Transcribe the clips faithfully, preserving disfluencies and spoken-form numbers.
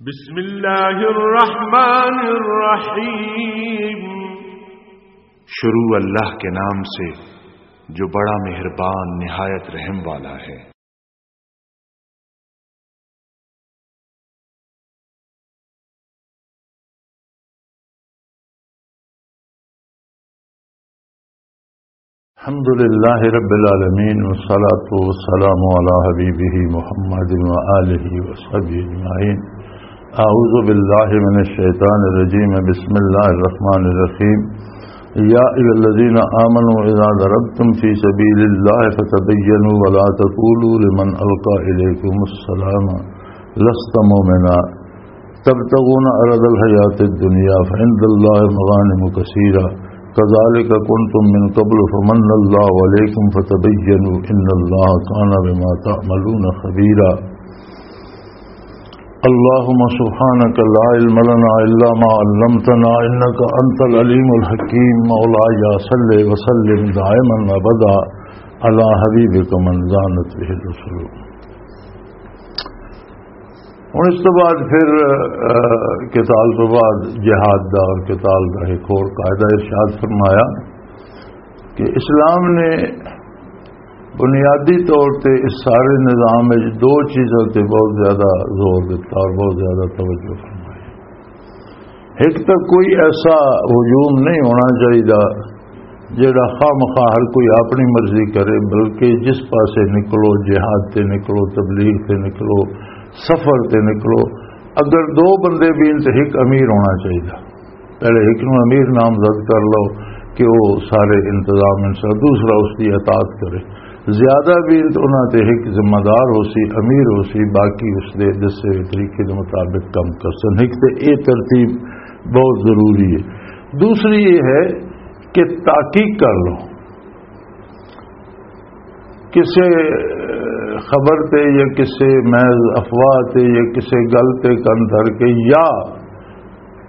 بسم اللہ الرحمن الرحیم۔ شروع اللہ کے نام سے جو بڑا مہربان نہایت رحم والا ہے۔ الحمد لله رب العالمين، والصلاة والسلام على حبيبه محمد وآله وصحبه أجمعين. أعوذ بالله من الشيطان الرجيم. بسم الله الرحمن الرحيم. يا أيها الذين آمنوا إذا ضربتم في سبيل الله فتبينوا ولا تقولوا لمن ألقى إليكم السلام لست مؤمنا تبتغون عرض الحياة الدنيا فعند الله مغانم كثيرة كذلك كنتم من قبل فمن الله عليكم فتبينوا إن الله كان بما تعملون خبيرا. اللهم سبحانك لا علم لنا إلا ما علمتنا إنك أنت العليم الحكيم. مولاي صل وسلم دائما أبدا على حبيبك من زانت به الرسل. ہن اس تو بعد پھر، اہ، قتال تو بعد جہاد دا اور قتال دا ایک اور قاعدہ ارشاد فرمایا کہ اسلام نے بنیادی طور تے اس سارے نظام وچ دو چیزاں تے بہت زیادہ زور دتا اور بہت زیادہ توجہ فرمائی۔ ایک تو کوئی ایسا ہجوم نہیں ہونا چاہیے جڑا خواہ مخواہ ہر کوئی اپنی مرضی کرے، بلکہ جس پاسے نکلو، جہاد تے نکلو، تبلیغ تے نکلو، سفر تے نکلو، اگر دو بندے بھی ان تے ایک امیر ہونا چاہیے۔ پہلے ایک نو امیر نامزد کر لو کہ وہ سارے انتظام ان سے، دوسرا اس کی اطاعت کرے۔ زیادہ بھی انہاں تے ایک ذمہ دار ہو سی، امیر ہو سی، باقی اس دے دسے ہوئے طریقے دے مطابق کم کر سن۔ ایک تے اے ترتیب بہت ضروری ہے۔ دوسری یہ ہے کہ تحقیق کر لو، کسے خبر تے یا کسے محض افواہ تے یا کسے گل تے کن دھر کے، یا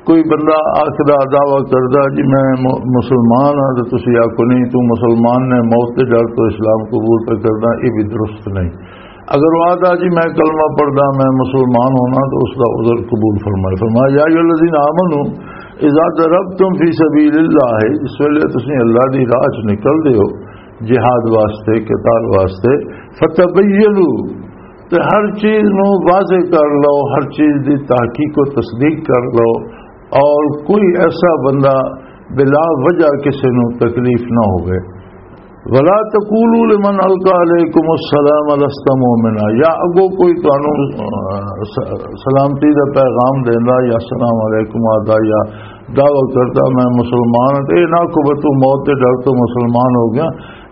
کوئی بندہ آخدا، دعویٰ کردا جی میں م-، مسلمان ہاں، تو تسی آکھو نہیں تو مسلمان نے، موت دے ڈر تو اسلام قبول پہ کردا، یہ بھی درست نہیں۔ اگر وہ آدھا جی میں کلمہ پڑھدا، میں مسلمان ہونا، تو اس دا عذر قبول فرمائے۔ فرمایا، یا ایھا الذین آمنوا اذا ضربتم فی سبیل اللہ، اس ویلے تسی اللہ دی راہ چ نکل دے ہو جہاد واسطے، قتال واسطے، فتبینوا، تے ہر چیز نو واضح کر لو، ہر چیز دی تحقیق و تصدیق کر لو، اور کوئی ایسا بندہ بلا وجہ کسی نو تکلیف نہ ہوئے۔ ولا تقولوا لمن القى علیکم السلام لست مؤمنا، یا اگو کوئی تانوں، آ، س-، سلامتی دا پیغام دیندا یا السلام علیکم آدا یا دعویٰ کردا میں مسلمان ہاں، تے اے نہ کو بتو موت دے ڈر تو مسلمان ہو گیا۔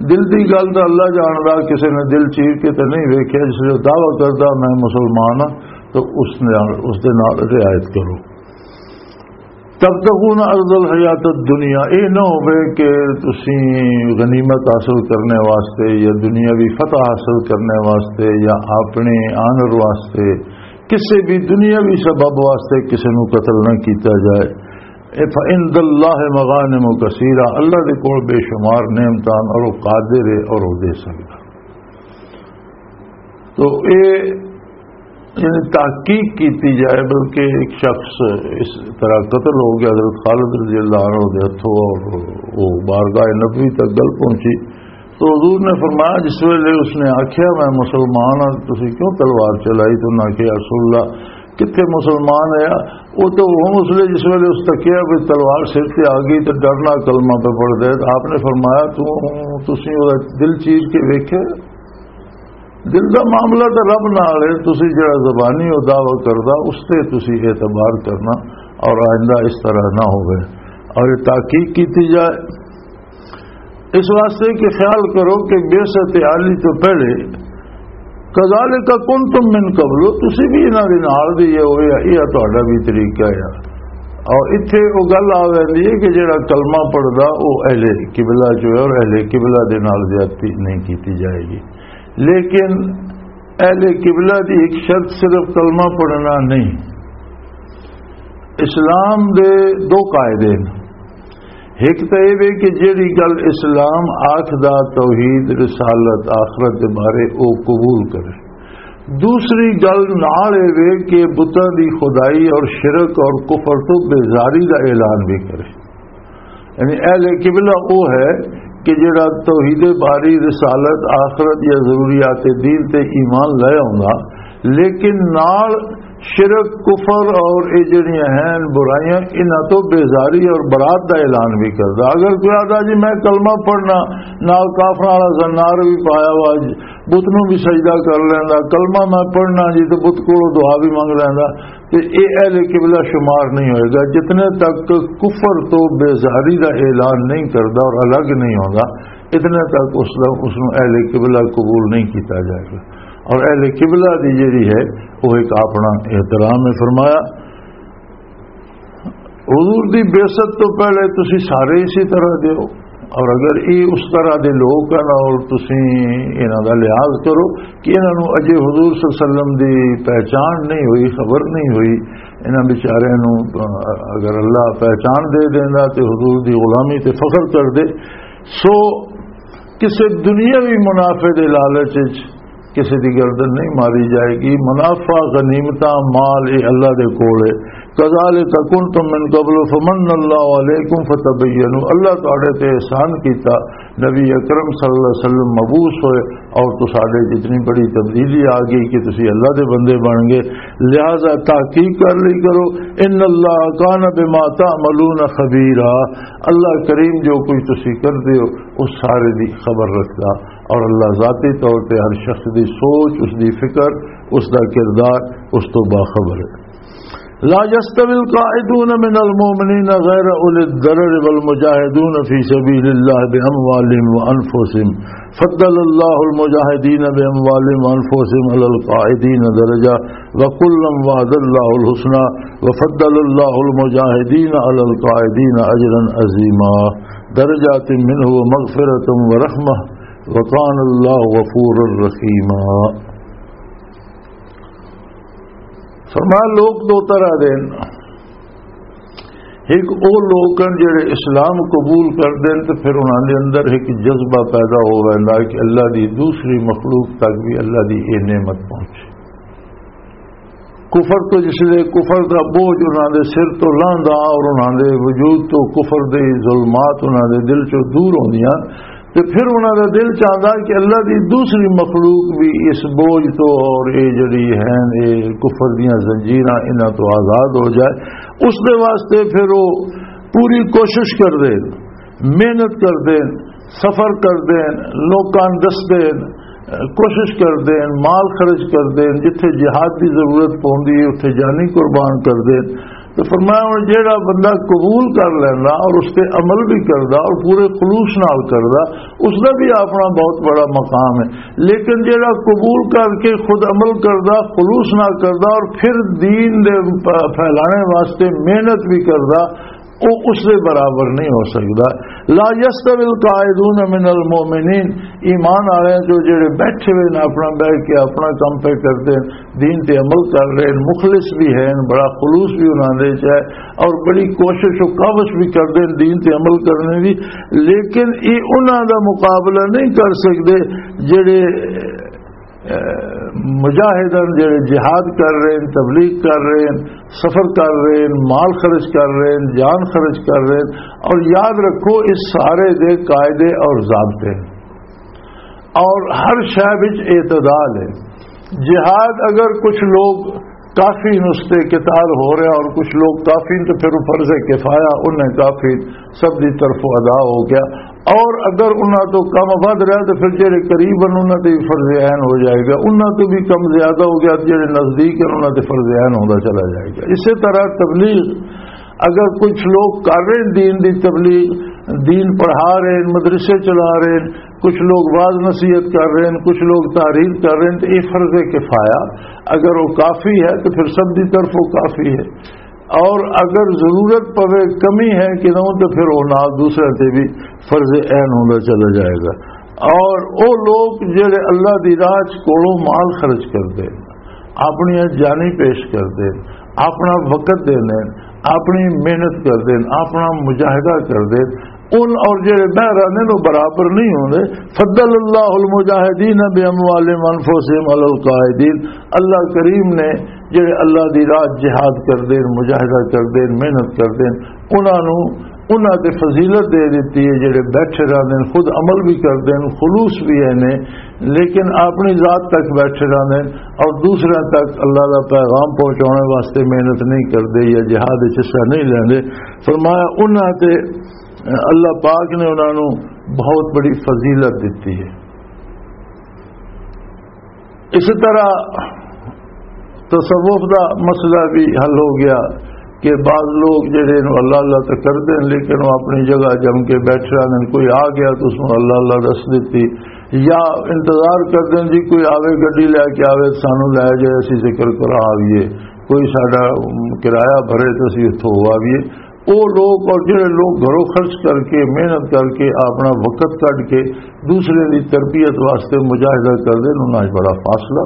دل دی گل دا اللہ جاندا، کسے نے دل چیر کے تے نہیں ویکھیا، جس نے دعویٰ کردا میں مسلمان ہاں، تو اس نے، اس دے نال رعایت کرو۔ تبتغون عرض الحیات الدنیا، اے نہ ہوے کہ تسی غنیمت حاصل کرنے واسطے یا دنیاوی فتح حاصل کرنے واسطے یا اپنے آنر واسطے کسے بھی دنیاوی سبب واسطے کسے نو قتل نہ کیتا جائے۔ اے فعند اللہ مغانم کثیرہ، اللہ دے کول بے شمار نعمتاں اور وہ قادر ہے اور وہ دے سکدا۔ تو اے یعنی تحقیق کیتی جائے، بلکہ ایک شخص اس طرح قتل ہو گیا حضرت خالد رضی اللہ عنہ دے ہتھوں اور وہ بارگاہ نبوی تک گل پہنچی۔ تو حضور نے فرمایا، جس ویلے اس نے آکھیا میں مسلمان ہاں، تسی کیوں تلوار چلائی؟ تو انہاں آکھیا، یا رسول اللہ، کتھے مسلمان ہے؟ وہ تو ہن اس لیے جس ویلے اس تکیا بھی تلوار سر تے آ گئی تو ڈرنا کلمہ پہ پڑھ دے۔ آپ نے فرمایا، تو تسی وہ دل چیر کے ویکھے؟ دل دا معاملہ تے رب نال ہے، تسی جڑا زبانی او دعویٰ کردا، اس تے تسی اعتبار کرنا اور آئندہ اس طرح نہ ہوئے۔ اور یہ تحقیق کیتی جائے، اس واسطے کہ خیال کرو کہ بعثت عالی تو پہلے کذالک کنتم من قبل، تسی بھی انہاں دے نال دے ہو، یا یہ تہاڈا بھی طریقہ ہے۔ اور اتھے وہ گل آ ویندی ہے کہ جڑا کلمہ پڑھدا، وہ اہل قبلہ جو ہے اور اہل قبلہ دے نال زیادتی نہیں کیتی جائے گی۔ لیکن اہل قبلہ دی ایک شرط صرف کلمہ پڑھنا نہیں۔ اسلام دے دو قاعدے نے۔ ایک تو یہ وے کہ جیڑی گل اسلام آکھدا، توحید، رسالت، آخرت دے بارے، او قبول کرے۔ دوسری گل نال اے وے کہ بتاں دی خدائی اور شرک اور کفر تو بیزاری دا اعلان بھی کرے۔ یعنی اہل قبلہ وہ ہے کہ جڑا توحید باری، رسالت، آخرت یا ضروریات دین تے ایمان لے آوندا، لیکن نال شرک، کفر اور اے جڑیاں ہیں برائیاں، انہاں تو بیزاری اور برات دا اعلان بھی کردا۔ اگر کوئی آدھا، "جی میں کلمہ پڑھنا، نال کافراں والا زنار بھی پایا وا، بت نوں بھی سجدہ کر لیندا، کلمہ میں پڑھنا جی تے بت کولوں دعا بھی منگ لیندا"، تے اے اہل قبلہ شمار نہیں ہوئے گا۔ جتنے تک کفر تو بیزاری دا اعلان نہیں کردا اور الگ نہیں ہوندا، اتنے تک اس دا، اس نوں اہل قبلہ قبول نہیں کیتا جائے گا۔ اور اہل قبلہ دی جڑی ہے، وہ ایک اپنا احترام ہے۔ فرمایا، حضور دی بعثت تو پہلے تسی سارے اسی طرح دے ہو، اور اگر یہ اس طرح دے لوگ ہیں اور تسی انہاں دا لحاظ کرو کہ انہاں نوں اجے حضور صلی اللہ علیہ وسلم دی پہچان نہیں ہوئی، خبر نہیں ہوئی، انہاں بیچاریاں نوں، آ، اگر اللہ پہچان دے دیندا تے حضور دی غلامی تے فخر کر دے۔ سو کسے دنیاوی منافع دے لالچ وچ کسے دی گردن نہیں ماری جائے گی۔ منافع، غنیمتاں، مال، یہ اللہ دے کول ہے۔ "کذالک کنتم من قبل فمن اللہ علیکم فتبینوا"، اللہ تہاڈے تے احسان کیتا، نبی اکرم صلی اللہ علیہ وسلم مبعوث ہوئے اور تساڈے جتنی بڑی تبدیلی آ گئی کہ تسی اللہ دے بندے بن گئے، لہذا تحقیق کر لی کرو۔ "ان اللہ کان بما تعملون خبیرا"، اللہ کریم جو کچھ تسی کردے ہو، اس سارے دی خبر رکھدا، اور اللہ ذاتی طور تے ہر شخص دی سوچ، اس دی فکر، اس دا کردار، اس تو باخبر ہے۔ "لا يستوي القاعدون من المؤمنين غير أولي الضرر والمجاهدون في سبيل الله بأموالهم وأنفسهم، فضل الله المجاهدين بأموالهم وأنفسهم على القاعدين درجة، وكلا وعد الله الحسنى، وفضل الله المجاهدين على القاعدين أجرا عظيما، درجات منه ومغفرة ورحمة، وكان الله غفورا رحيما"۔ فرمایا، لوگ دو طرح دے ہن۔ ایک او لوگ ہن جڑے اسلام قبول کر دین تے پھر انہاں دے اندر ایک جذبہ پیدا ہو ویندا کہ اللہ دی دوسری مخلوق تک بھی اللہ دی اے نعمت پہنچے۔ کفر تو جس لے کفر دا بوجھ انہاں دے سر تو لاندا اور انہاں دے وجود تو کفر دے ظلمات انہاں دے دل چوں دور ہوندیاں، تے پھر انہاں دا دل چاہندا کہ اللہ دی دوسری مخلوق بھی اس بوجھ تو اور اے جڑی ہیں، اے کفر دیاں زنجیراں، انہاں تو آزاد ہو جائے۔ اس دے واسطے پھر وہ پوری کوشش کر دے، محنت کر دے، سفر کر دے، لوکاں نوں دس دے، کوشش کر دے، مال خرچ کر دے، جتھے جہاد دی ضرورت پوندی ہے، اتھے جانی قربان کر دے۔ تو فرمایا، ہن جیڑا بندہ قبول کر لیندا اور اس تے عمل بھی کردا اور پورے خلوص نال کردا، اس دا بھی اپنا بہت بڑا مقام ہے۔ لیکن جیڑا قبول کر کے خود عمل کردا، خلوص نال کردا اور پھر دین دے پ-، پھیلانے واسطے محنت بھی کردا، او اس دے برابر نہیں ہو سکدا۔ لا يستوي القاعدون من المؤمنين، ایمان والے جو جڑے بیٹھے ہوئے نے، اپنا بیٹھ کے اپنا کام پہ کرتے ہیں، دین تے عمل کر رہے ہیں، مخلص بھی ہیں، بڑا خلوص بھی انہاں دے وچ ہے اور بڑی کوشش و کاوش بھی کردے ہیں دین تے عمل کرنے دی، لیکن یہ انہاں دا مقابلہ نہیں کر سکدے جڑے، اے، مجاہدن، جڑے جہاد کر رہے ہیں، تبلیغ کر رہے ہیں، سفر کر رہے ہیں، مال خرچ کر رہے ہیں، جان خرچ کر رہے ہیں۔ اور یاد رکھو، اس سارے دے قاعدے اور ضابطے ہیں اور ہر شے وچ اعتدال ہے۔ جہاد اگر کچھ لوگ کافی نستے قتال ہو رہا اور کچھ لوگ کافی، تو پھر وہ فرض کفایہ انہیں کافی سب دی طرف ادا ہو گیا۔ اور اگر انہاں تو کم ود رہا تو پھر جڑے قریب ہیں انہاں تے بھی فرض عین ہو جائے گا، انہاں تو بھی کم زیادہ ہو گیا، جڑے نزدیک ہیں انہاں تے فرض عین ہوندا چلا جائے گا۔ اسی طرح تبلیغ، اگر کچھ لوگ کر رہے ہیں دین دی تبلیغ، دین پڑھا رہے ہیں، مدرسے چلا رہے ہیں، کچھ لوگ واز نصیحت کر رہے ہیں، کچھ لوگ تحریر کر رہے ہیں، تو یہ فرض کفایہ، اگر وہ کافی ہے تو پھر سب دی طرف وہ کافی ہے، اور اگر ضرورت پوے، کمی ہے کہ نہ، تو پھر وہ نال دوسرے تے بھی فرض عین ہوندا چلا جائے گا۔ اور وہ لوگ جڑے اللہ دی راہ چ کولوں مال خرچ کردے، اپنی جانی پیش کردے، اپنا وقت دیندے، اپنی محنت کردے، اپنا مجاہدہ کردے، ان اور جڑے بہرانے نو برابر نہیں ہوندے۔ فضل اللہ المجاہدین باموالہم وانفسہم علی القاعدین، اللہ کریم نے جڑے اللہ دی راہ جہاد کردے نے، مجاہدہ کردے نے، محنت کردے نے، انہاں نو، انہاں تے فضیلت دے دتی ہے۔ جڑے بیٹھے رہندے نے، خود عمل بھی کردے نے، خلوص بھی ہے نے، لیکن اپنی ذات تک بیٹھے رہندے نے اور دوسرے تک اللہ دا پیغام پہنچانے واسطے محنت نہیں کردے یا جہاد وچ حصہ نہیں لیندے۔ فرمایا انہاں تے اللہ پاک نے انہاں نو بہت بڑی فضیلت دتی ہے۔ اسی طرح تصوف دا مسئلہ بھی حل ہو گیا کہ بعض لوگ جڑے نو اللہ اللہ تے کردے نے، لیکن وہ اپنی جگہ جم کے بیٹھ رہے ہیں۔ کوئی آ گیا تو اس نو اللہ اللہ دس دیتی، یا انتظار کردے نے جی کوئی آوے، گڈی لے کے آوے، سانو لے جائے، اسی ذکر کرا آئیے، کوئی ساڈا کرایہ بھرے تو اسی اتھوں ہو آئیے۔ وہ لوگ اور جڑے لوگ گھروں خرچ کر کے، محنت کر کے، اپنا وقت کڈ کے دوسرے دی تربیت واسطے مجاہدہ کردے نے، انہاں وچ بڑا فاصلہ۔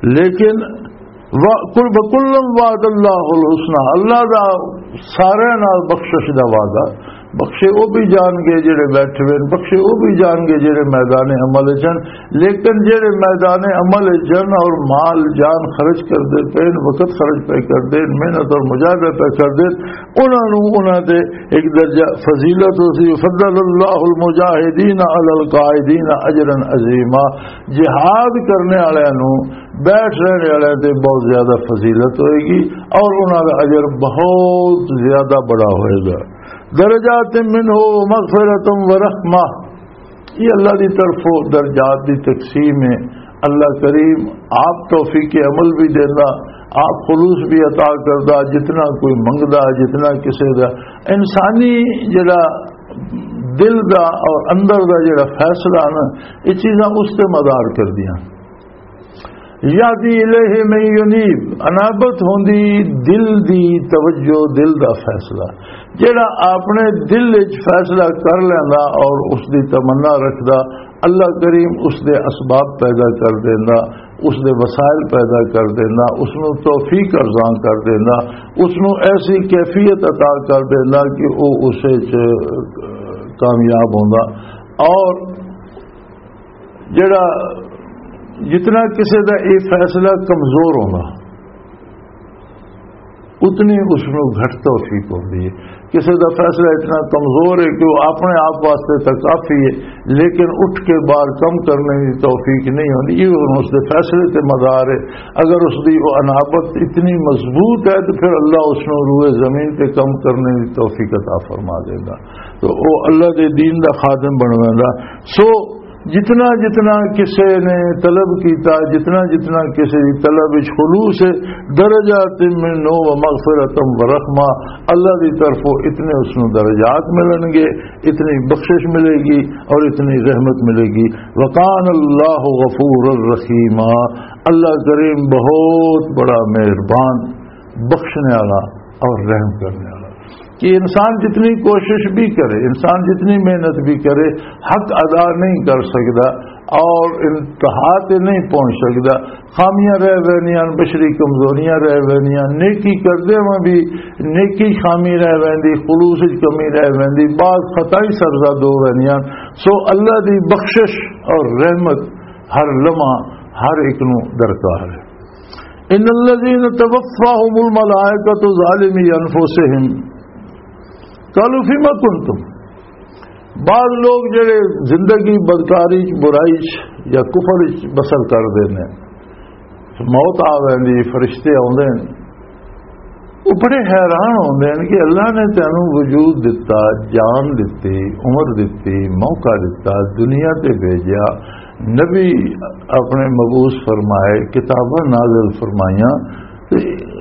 لیکن وا-، کل، وکلم وعد اللہ الحسنی، اللہ دا سارے نال بخشش دا وعدہ۔ بخشے وہ بھی جان گے جڑے بیٹھے ہوئے نے، بخشے وہ بھی جان گے جڑے میدان عمل وچ ہن۔ لیکن جڑے میدان عمل وچ ہن اور مال جان خرچ کردے پے نے، وقت خرچ پے کردے نے، محنت اور مجاہدہ پے کردے نے، انہاں نوں انہاں تے ایک درجہ فضیلت ہو سی۔ فضل اللہ المجاہدین علی القاعدین اجرا عظیما، جہاد کرنے والے نوں، بیٹھ رہنے والے تے بہت زیادہ فضیلت ہوئے گی اور انہاں دا اجر بہت زیادہ بڑا ہوئے گا۔ درجات منہ و مغفرت و رحمہ، یہ اللہ دی طرفوں درجات دی تقسیم ہے۔ اللہ کریم آپ توفیق عمل بھی دیندا، آپ خلوص بھی عطا کردا، جتنا کوئی منگدا، جتنا کسے دا انسانی جڑا دل دا اور اندر دا جڑا فیصلہ نا، یہ چیزاں اس تے مدار کردیاں۔ یہدی الیہ من ینیب، انابت ہوندی دل دی توجہ، دل دا فیصلہ۔ جڑا اپنے دل وچ فیصلہ کر لیندا اور اس دی تمنا رکھدا، اللہ کریم اس دے اسباب پیدا کر دیندا، اس دے وسائل پیدا کر دیندا، اس نو توفیق ارزاں کر دیندا، اس نو ایسی کیفیت عطا کر دیندا کہ او اس وچ کامیاب ہوندا۔ اور جڑا، جتنا کسے دا یہ فیصلہ کمزور ہونا، اتنی اس نو گھٹ توفیق ہوندی ہے۔ کسے دا فیصلہ اتنا کمزور ہے کہ وہ اپنے آپ واسطے تو کافی ہے، لیکن اٹھ کے باہر کم کرنے کی توفیق نہیں ہوندی۔ یہ ہن اس دے فیصلے تے مدار ہے۔ اگر اس دی وہ انابت اتنی مضبوط ہے تو پھر اللہ اس نو روئے زمین تے کم کرنے کی توفیق عطا فرما دیندا۔ تو وہ اللہ دے دین دا خادم بنویندا۔ سو جتنا جتنا کسے نے طلب کیتا، جتنا جتنا کسے دی طلب وچ خلوص ہے، درجات منہ و مغفرت و رحمہ، اللہ دی طرفوں اتنے اس نو درجات ملن گے، اتنی بخشش ملے گی اور اتنی رحمت ملے گی۔ وکان اللہ غفور الرحیم، اللہ کریم بہت بڑا مہربان، بخشنے والا اور رحم کرنے والا۔ کہ انسان جتنی کوشش بھی کرے، انسان جتنی محنت بھی کرے، حق ادا نہیں کر سکدا اور انتہا تے نہیں پہنچ سکدا۔ خامیاں رہ ویندیاں، بشری کمزوریاں رہ ویندیاں، نیکی کردے میں بھی نیکی خامی رہ ویندی، خلوص وچ کمی رہ ویندی، بعض خطائیں سرزد ہو ویندیاں۔ سو اللہ دی بخشش اور رحمت ہر لمحہ ہر ایک نو درکار ہے۔ ان الذين توفاهم الملائکۃ ظالمی انفسهم قالوا فیما کنتم۔ بعض لوگ جڑے زندگی بدکاری چ، برائی چ یا کفر چ بسر کردے نے، موت آ ویندی، فرشتے آوندے نے، وہ بڑے حیران ہوندے نے کہ اللہ نے تینوں وجود دتا، جان دتی، عمر دتی، موقع دتا، دنیا تے بھیجیا، نبی اپنے مبعوث فرمائے، کتاباں نازل فرمائیاں، تے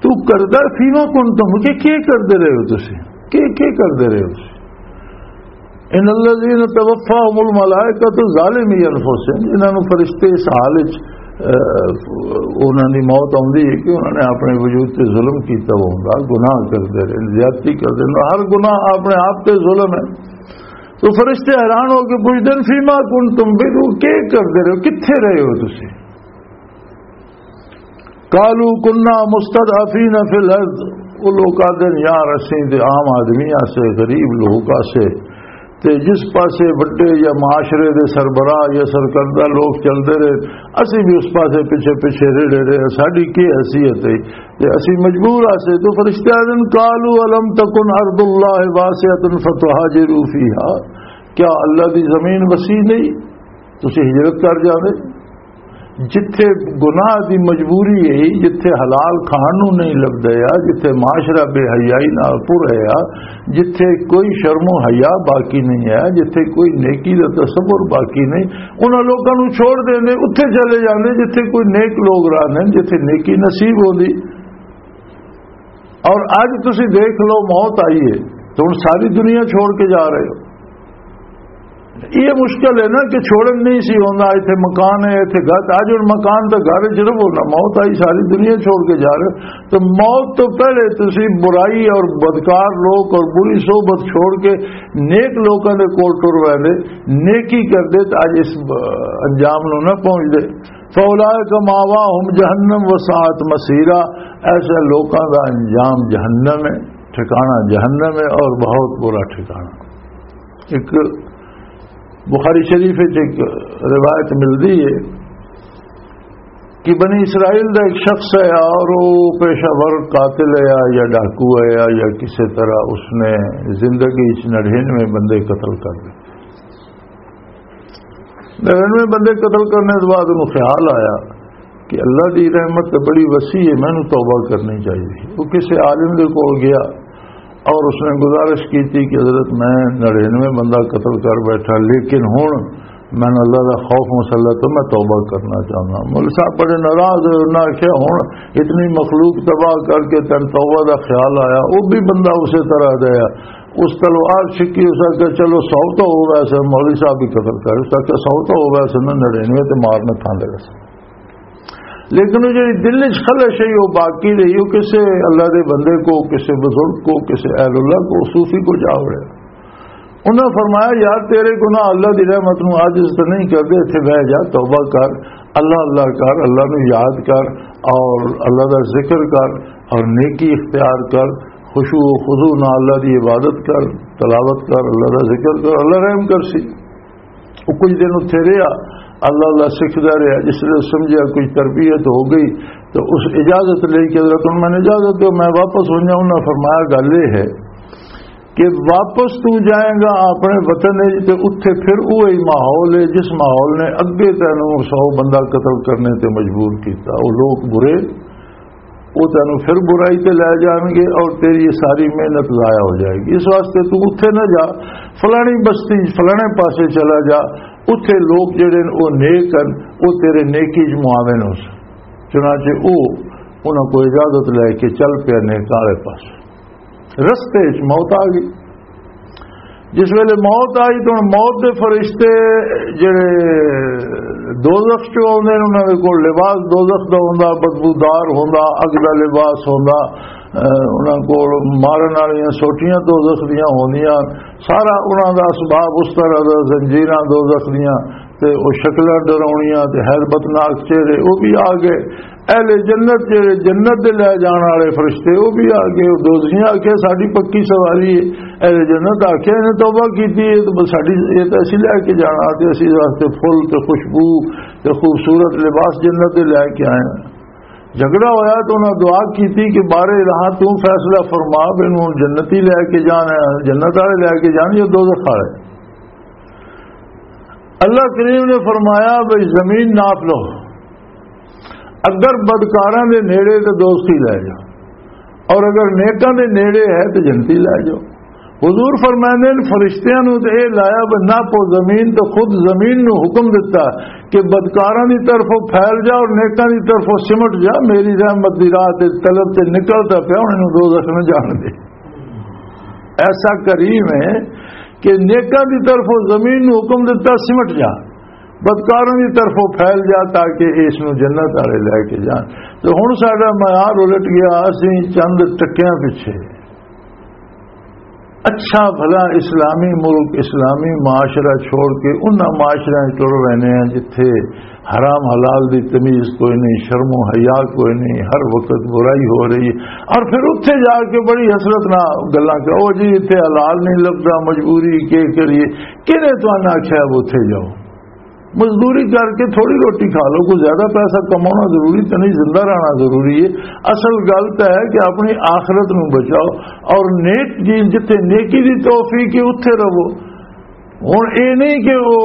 تو کردا فیما کنتم، کہ کی کردے رہے ہو تسی؟ کی، کی کردے رہے ہو تسی؟ ان الذين توفاهم الملائکۃ ظالمی انفسهم، جنہاں نوں فرشتے اس حال وچ، اہ، انہاں دی موت آوندی ہے کہ انہاں نے اپنے وجود تے ظلم کیتا ہوندا، گناہ کردے رہے، زیادتی کردے رہے، ہر گناہ اپنے آپ تے ظلم ہے۔ تو فرشتے حیران ہو کے پوچھدے نے، فیما کنتم، بھی تو کی کردے رہے ہو، کتھے رہے ہو تسی؟ قالوا كنا مستضعفين في الارض، وہ لوگ آدھے نے، "یار، اسیں تے عام آدمی آسے، غریب لوگ آسے، تے جس پاسے وڈے یا معاشرے دے سربراہ یا سرکردہ لوگ چلدے رہے، اسی بھی اس پاسے پیچھے پیچھے ریڑے رہے، ساڈی کی حیثیت ہے؟" تے اسی مجبور آسے۔ تو فرشتے آدھے نے، "قالوا الم تکن ارض اللہ واسعۃ فتہاجروا فیہا۔" کیا اللہ دی زمین وسیع نہیں؟ تسی ہجرت کر جاوے۔ جتھے گناہ دی مجبوری ہے، جتھے حلال کھان نوں نہیں لبدا، یا جتھے معاشرہ بے حیائی نال پر ہے، جتھے کوئی شرم و حیا باقی نہیں ہے، جتھے کوئی نیکی دا تصور باقی نہیں، انہاں لوکاں نوں چھوڑ دیندے، اتھے چلے جاندے جتھے کوئی نیک لوگ رہندے، جتھے نیکی نصیب ہوندی۔ اور اج تسی دیکھ لو، موت آئی ہے تو ہن ساری دنیا چھوڑ کے جا رہے ہو۔ یہ مشکل ہے نا کہ چھوڑن نہیں سی ہوندا، ایتھے مکان ہے، ایتھے گھر، اج ہن مکان تے گھر وچ رہو نا، موت آئی، ساری دنیا چھوڑ کے جا رہے ہو۔ تو موت تو پہلے تسی برائی اور بدکار لوگ اور بری صحبت چھوڑ کے نیک لوکاں دے کول ٹر ویندے، نیکی کردے، تو اج اس انجام نوں نہ پہنچدے۔ فَأُولَٰئِكَ مَأْوَاهُمْ جَهَنَّمُ وَسَاءَتْ مَصِيرًا، ایسے لوکاں دا انجام جہنم ہے، ٹھکانہ جہنم ہے اور بہت برا ٹھکانہ۔ ایک بخاری شریف وچ ایک روایت ملدی ہے کہ بنی اسرائیل دا ایک شخص ہے اور وہ پیشہ ور قاتل ہے یا، یا ڈاکو ہے یا، یا کسی طرح اس نے زندگی وچ نڑھینوے بندے قتل کر دے۔ نڑینوے بندے قتل کرنے کے بعد انہوں خیال آیا کہ اللہ دی رحمت تے بڑی وسیع ہے، مینوں توبہ کرنی چاہیے۔ وہ کسی عالم دے کول گیا اور اس نے گزارش کی تھی کہ حضرت، میں نڑینوے بندہ قتل کر بیٹھا، لیکن ہن میں اللہ دا خوف مسلط تو میں توبہ کرنا چاہنا۔ مولوی صاحب بڑے ناراض ہوئے، انہاں آکھیا، ہن اتنی مخلوق تباہ کر کے تین توبہ دا خیال آیا، وہ بھی بندہ اسی طرح دا ہے۔ اس تلوار چھکی، اس آکھیا، چلو، سو تو ہو ویسے، مولوی صاحب بھی قتل کر، اس آکھیا، سو تو ہو ویسے، میں نڑینوے تے مارنے تھاندے ویسے۔ لیکن وہ جڑی دل وچ خلش ہے، وہ باقی رہی، وہ کسے اللہ دے بندے کو، کسے بزرگ کو، کسے اہل اللہ کو، صوفی کو جا وڑے۔ انہاں فرمایا، یار، تیرے گناہ اللہ دی رحمت نو عاجز تو نہیں کردے، اتھے بہ جا، توبہ کر، اللہ اللہ کر، اللہ نو یاد کر، اور اللہ دا ذکر کر، اور نیکی اختیار کر، خشوع و خضوع نال اللہ دی عبادت کر، تلاوت کر، اللہ دا ذکر کر، اللہ رحم کر سی۔ وہ کچھ دن اتھے رہیا، اللہ اللہ سکھدا رہیا۔ جس ویلے سمجھیا کچھ تربیت ہو گئی، تو اس اجازت لے کے، حضرت، ہن میں اجازت دو، میں واپس ہو جاؤں۔ انہاں فرمایا، گل یہ ہے کہ واپس تو جائیں گا اپنے وطن وچ، تے اتھے پھر وہی ماحول ہے جس ماحول نے اگے تینوں سو بندہ قتل کرنے تے مجبور کیتا۔ وہ لوگ برے، وہ تینوں پھر برائی تے لے جان گے اور تیری یہ ساری محنت ضائع ہو جائے گی۔ اس واسطے تو اتھے نہ جا، فلانی بستی، فلانے پاسے چلا جا، اتھے لوگ جڑے نے، وہ نیک ہیں، وہ تیرے نیکی چ معاون ہو سن۔ چنانچہ وہ انہاں کو اجازت لے کے چل پیا نیکاں والے پاس۔ رستے وچ موت آ گئی۔ جس ویلے موت آئی تو موت دے فرشتے جڑے دوزخ چوں آوندے نے، انہاں دے کول لباس دوزخ دا ہوندا، بدبودار ہوندا، اگ دا لباس ہوندا، اہ، انہاں کول مارن والیاں سوٹیاں دوزخ دیاں ہوندیاں، سارا انہاں دا اسباب اس طرح دا، زنجیراں دوزخ دیاں، تے او شکلاں ڈراؤنیاں تے حیرت ناک چہرے، او بھی آ گئے۔ اہل جنت جڑے جنت دے لے جان والے فرشتے، او بھی آ گئے۔ او دوزخیاں آکھیا، ساڈی پکی سواری ہے۔ اہل جنت آکھیا، انہیں توبہ کیتی ہے، تو بس ساڈی، یہ تو اسی لے کے جانا، تے اسی واسطے پھول تے خوشبو تے خوبصورت لباس جنت دے لے کے آئے ہیں۔ جھگڑا ہویا تو انہاں دعا کیتی کہ بارے رہا تو فیصلہ فرما، بھی انہوں جنتی لے کے جانا ہے، جنت والے لے کے جان یا دوزخ والے۔ اللہ کریم نے فرمایا، بھئی زمین ناپ لو، اگر بدکاراں دے نیڑے تے دوستی لے جاؤ، اور اگر نیکاں دے نیڑے ہے تے جنتی لے جاؤ۔ حضور فرماندے نے، فرشتیاں نوں تے اے لایا بے ناپو زمین، تے خود زمین نوں حکم دتا کہ بدکاراں دی طرفوں پھیل جا اور نیکاں دی طرفوں سمٹ جا، میری رحمت دی راہ تے طلب تے نکلدا پیا، انہاں نوں دوزخ نہ جان دے۔ ایسا کریم ہے کہ نیکاں دی طرفوں زمین نوں حکم دتا، سمٹ جا، بدکاراں دی طرفوں پھیل جا، تاکہ اس نوں جنت والے لے کے جان۔ تو ہن ساڈا معیار الٹ گیا، اسی چند ٹکیاں پیچھے۔ اچھا بھلا اسلامی ملک، اسلامی معاشرہ چھوڑ کے انہاں معاشرے وچ ٹر رہنے ہیں جتھے حرام حلال دی تمیز کوئی نہیں، شرم و حیا کوئی نہیں، ہر وقت برائی ہو رہی ہے۔ اور پھر اتھے جا کے بڑی حسرت نہ گلاں کہ او جی اتھے حلال نہیں لبدا، مجبوری، کے کریے؟ کنے تانوں آکھیا اب اتھے جاؤ؟ مزدوری کر کے تھوڑی روٹی کھا لو، کوئی زیادہ پیسہ کمانا ضروری تو نہیں، زندہ رہنا ضروری ہے۔ اصل گل تو ہے کہ اپنی آخرت نو بچاؤ، اور نیک چیز، جتھے نیکی دی توفیق ہے، اتھے رہو۔ ہن اے نہیں کہ او،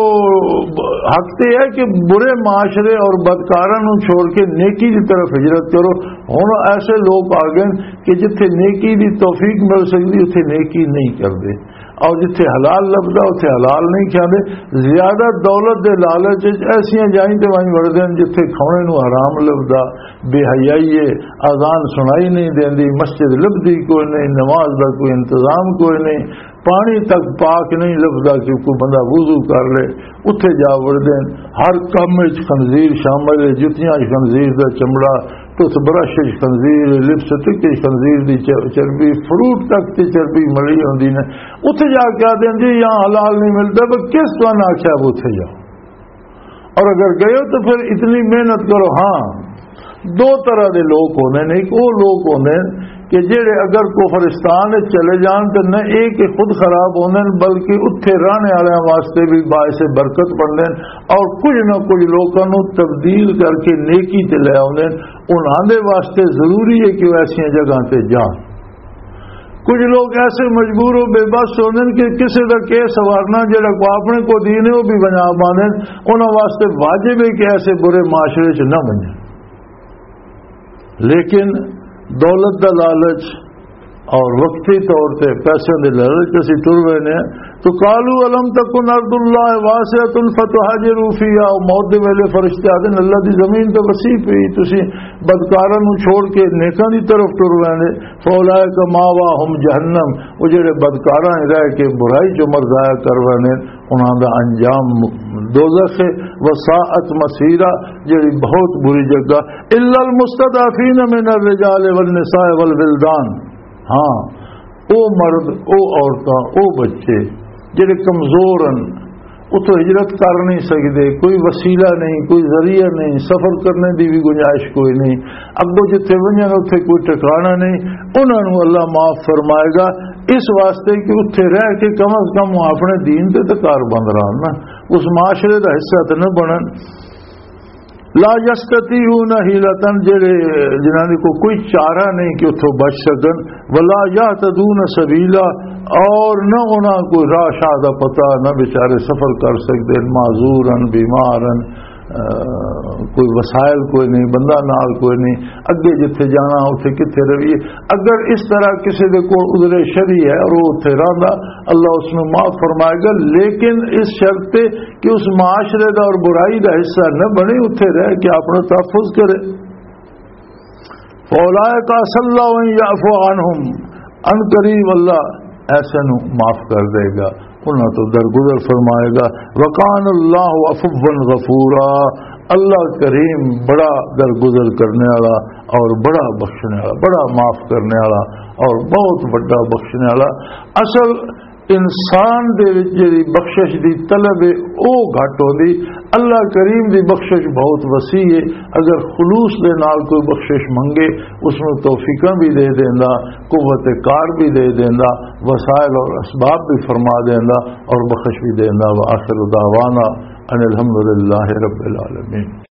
حق تے ہے کہ برے معاشرے اور بدکاراں نو چھوڑ کے نیکی دی طرف ہجرت کرو۔ ہن ایسے لوگ آ گئے کہ جتھے نیکی دی توفیق مل سکدی، اتھے نیکی نہیں کردے، اور جتھے حلال لبدا، اتھے حلال نہیں کھاندے۔ زیادہ دولت دے لالچ وچ ایسیاں جائیں تے وائیں وڑدے نے جتھے کھانے نو حرام لبدا، بے حیائی ہے، اذان سنائی نہیں دیندی، مسجد لبدی کوئی نہیں، نماز دا کوئی انتظام کوئی نہیں، پانی تک پاک نہیں لبدا کہ کوئی بندہ وضو کر لے۔ اتھے جا وڑدے نے، ہر کم وچ خنزیر شامل ہے، جتیاں وچ خنزیر دا چمڑا، ٹوتھ برش وچ خنزیر، لپسٹک وچ خنزیر دی چ-، چربی، فروٹ تک تے چربی ملی ہوندی نے۔ اتھے جا کے آدھے نے، "جی یہاں حلال نہیں ملتا، پر کس تانوں آکھیا اب اتھے جاؤ؟" اور اگر گئے ہو تو پھر اتنی محنت کرو۔ ہاں، دو طرح دے لوگ ہوندے نے۔ ایک وہ لوگ ہوندے نے کہ جڑے اگر کفرستان وچ چلے جان تو نہ یہ کہ خود خراب ہوندے نے، بلکہ اتھے رہنے والے واسطے بھی باعث برکت بندے نے، اور کچھ نہ کچھ لوگوں نوں تبدیل کر کے نیکی تے لے آوندے نے۔ انہاں دے واسطے ضروری ہے کہ وہ ایسیاں جگہاں تے جان۔ کچھ لوگ ایسے مجبور ہو، بے بس ہوندے نے کہ کسے دا کیس سوارنا، جڑا کو اپنے کو دین ہے، وہ بھی بنا پاندے نے۔ انہاں واسطے واجب ہے کہ ایسے برے معاشرے چ نہ بنن۔ لیکن دولت دا لالچ اور وقتی طور تے پیسے دے لالچ اسی ٹر رہے نے، تو قالوا الم تکن ارض اللہ واسعۃ فتہاجروا فیہا، موت دے ویلے فرشتے آدھے نے، "اللہ دی زمین تے وسیع پئی، تسی بدکاراں نوں چھوڑ کے نیکاں دی طرف ٹر رہے نے۔" فاولئک ماواہم جہنم، وہ جڑے بدکاراں رہ کے برائی چ عمر ضائع کر رہے نے، انہاں دا انجام دوزخ ہے۔ وساءت مصیرا، جڑی بہت بری جگہ۔ الا المستضعفین من الرجال والنساء والولدان، ہاں، او مرد، او عورتاں، او بچے جڑے کمزور ہن، اتھوں ہجرت کر نہیں سکدے، کوئی وسیلہ نہیں، کوئی ذریعہ نہیں، سفر کرنے دی بھی گنجائش کوئی نہیں، اگوں جتھے ونجن اتھے کوئی ٹھکانہ نہیں، انہاں نوں اللہ معاف فرمائے گا، اس واسطے کہ اتھے رہ کے کم از کم وہ اپنے دین تے تے کار بند رہن نا، اس معاشرے دا حصہ تے نہ بنن۔ لا یستطیعون حیلۃ، جڑے، جنہاں دے کو کوئی چارہ نہیں کہ اتھوں بچ سکن، ولا یہتدون سبیلا، اور نہ انہاں کوئی راہ شاہ دا پتہ، نہ بیچارے سفر کر سکدے، معذورن، بیمارن، آ، کوئی وسائل کوئی نہیں، بندہ نال کوئی نہیں، اگے جتھے جانا اتھے کتھے رویے۔ اگر اس طرح کسی دے کول عذر شرعی ہے اور وہ اتھے رہندا، اللہ اس نوں معاف فرمائے گا، لیکن اس شرط تے کہ اس معاشرے دا اور برائی دا حصہ نہ بنے، اتھے رہ کے اپنا تحفظ کرے۔ فاولئک عسى الله ان يعفو عنهم، ان قریب اللہ ایسے نو معاف کر دے گا، انہاں تو درگزر فرمائے گا۔ وکان اللہ عفوا غفورا، اللہ کریم بڑا درگزر کرنے والا اور بڑا بخشنے والا، بڑا معاف کرنے والا اور بہت بڑا بخشنے والا۔ اصل انسان دے وچ جڑی بخشش دی طلب ہے، او گھٹ ہوندی۔ اللہ کریم دی بخشش بہت وسیع ہے۔ اگر خلوص دے نال کوئی بخشش منگے، اس نوں توفیقاں بھی دے دیندا، قوت کار بھی دے دیندا، وسائل اور اسباب بھی فرما دیندا اور بخش بھی دیندا۔ وآخر دعوانا ان الحمد للہ رب العالمین۔